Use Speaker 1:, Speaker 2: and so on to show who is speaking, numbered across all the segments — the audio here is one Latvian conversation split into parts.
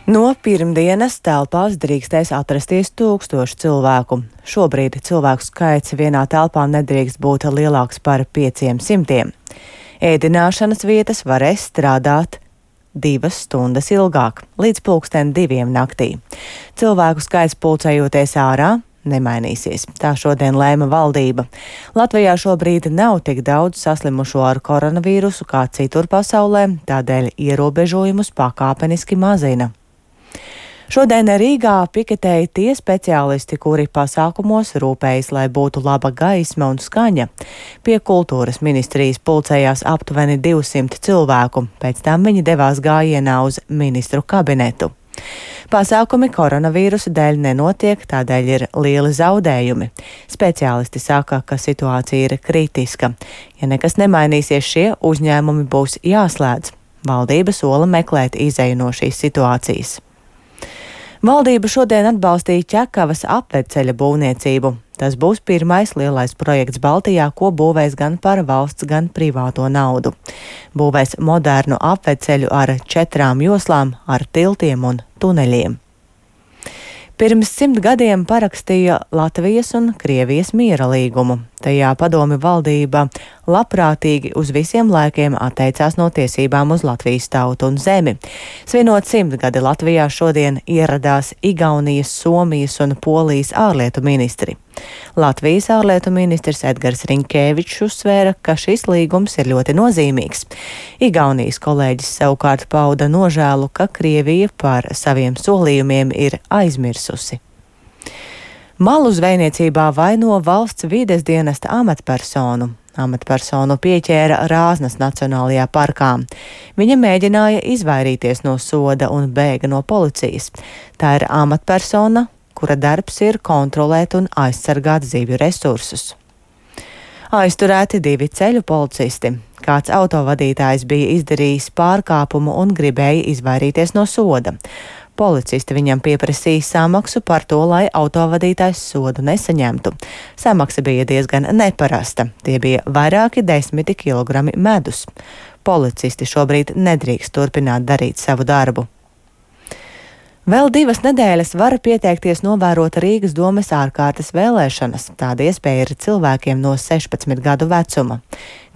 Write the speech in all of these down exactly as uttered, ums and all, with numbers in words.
Speaker 1: No pirmdienas telpās drīkstēs atrasties tūkstoši cilvēku. Šobrīd cilvēku skaits vienā telpā nedrīkst būt lielāks par pieciem simtiem. Ēdināšanas vietas varēs strādāt divas stundas ilgāk, līdz pulksten diviem naktī. Cilvēku skaits pulcējoties ārā nemainīsies. Tā šodien lēma valdība. Latvijā šobrīd nav tik daudz saslimušo ar koronavīrusu kā citur pasaulē, tādēļ ierobežojumus pakāpeniski mazina. Šodien Rīgā piketēja tie speciālisti, kuri pasākumos rūpējas, lai būtu laba gaisma un skaņa. Pie kultūras ministrijas pulcējās aptuveni divsimt cilvēku, pēc tam viņi devās gājienā uz ministru kabinetu. Pasākumi koronavīrusa dēļ nenotiek, tādēļ ir lieli zaudējumi. Speciālisti saka, ka situācija ir kritiska. Ja nekas nemainīsies, šie uzņēmumi būs jāslēdz. Valdība sola meklēt izeju no šīs situācijas. Valdība šodien atbalstīja Ķekavas apveceļa būvniecību. Tas būs pirmais lielais projekts Baltijā, ko būvēs gan par valsts, gan privāto naudu. Būvēs modernu apveceļu ar četrām joslām, ar tiltiem un tuneļiem. Pirms simt gadiem parakstīja Latvijas un Krievijas miera līgumu. Tajā padomju valdība labprātīgi uz visiem laikiem atteicās no tiesībām uz Latvijas tautu un zemi. Svinot simtgadi Latvijā šodien ieradās Igaunijas, Somijas un Polijas ārlietu ministri. Latvijas ārlietu ministrs Edgars Rinkēvičs uzsvēra, ka šis līgums ir ļoti nozīmīgs. Igaunijas kolēģis savukārt pauda nožēlu, ka Krievija par saviem solījumiem ir aizmirsusi. Malu zvejniecībā vaino valsts vides dienesta amatpersonu. Amatpersonu pieķēra Rāznas Nacionālajā parkā. Viņa mēģināja izvairīties no soda un bēga no policijas. Tā ir amatpersona, kura darbs ir kontrolēt un aizsargāt zivju resursus. Aizturēti divi ceļu policisti. Kāds autovadītājs bija izdarījis pārkāpumu un gribēja izvairīties no soda. Policisti viņam pieprasīja samaksu par to, lai autovadītājs sodu nesaņemtu. Samaksa bija diezgan neparasta. Tie bija vairāki desmiti kilogrami medus. Policisti šobrīd nedrīkst turpināt darīt savu darbu. Vēl divas nedēļas var pieteikties novērot Rīgas domes ārkārtas vēlēšanas. Tāda iespēja ir cilvēkiem no sešpadsmit gadu vecuma.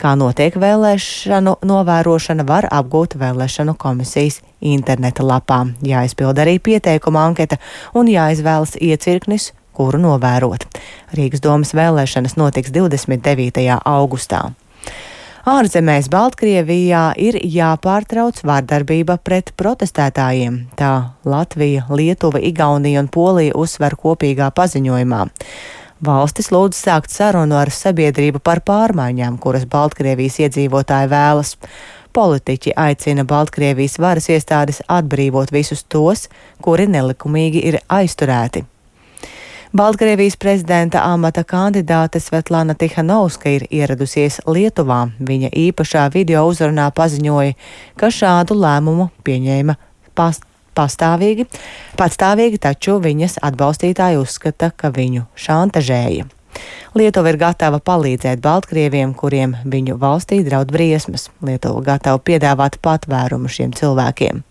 Speaker 1: Kā notiek vēlēšanu novērošana, var apgūt vēlēšanu komisijas interneta lapā. Jāizpild arī pieteikuma anketa un jāizvēlas iecirknis, kuru novērot. Rīgas domes vēlēšanas notiks divdesmit devītajā augustā. Ārzemēs Baltkrievijā ir jāpārtrauc vardarbība pret protestētājiem. Tā Latvija, Lietuva, Igaunija un Polija uzsver kopīgā paziņojumā. Valstis lūdz sākt sarunu ar sabiedrību par pārmaiņām, kuras Baltkrievijas iedzīvotāji vēlas. Politiķi aicina Baltkrievijas varas iestādes atbrīvot visus tos, kuri nelikumīgi ir aizturēti. Baltkrievijas prezidenta amata kandidāte Svetlana Tihanovska ir ieradusies Lietuvā. Viņa īpašā video uzrunā paziņoja, ka šādu lēmumu pieņēma past, pastāvīgi, patstāvīgi, taču viņas atbalstītāji uzskata, ka viņu šantažēja. Lietuva ir gatava palīdzēt Baltkrieviem, kuriem viņu valstī draud briesmas. Lietuva gatava piedāvāt patvērumu šiem cilvēkiem.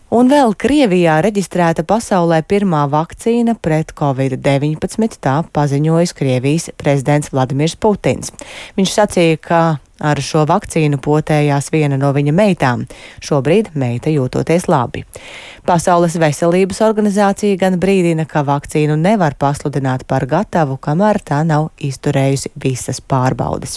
Speaker 1: Un vēl Krievijā reģistrēta pasaulē pirmā vakcīna pret covid deviņpadsmit, tā paziņojis Krievijas prezidents Vladimirs Putins. Viņš sacīja, ka ar šo vakcīnu potējās viena no viņa meitām. Šobrīd meita jūtoties labi. Pasaules veselības organizācija gan brīdina, ka vakcīnu nevar pasludināt par gatavu, kamēr tā nav izturējusi visas pārbaudes.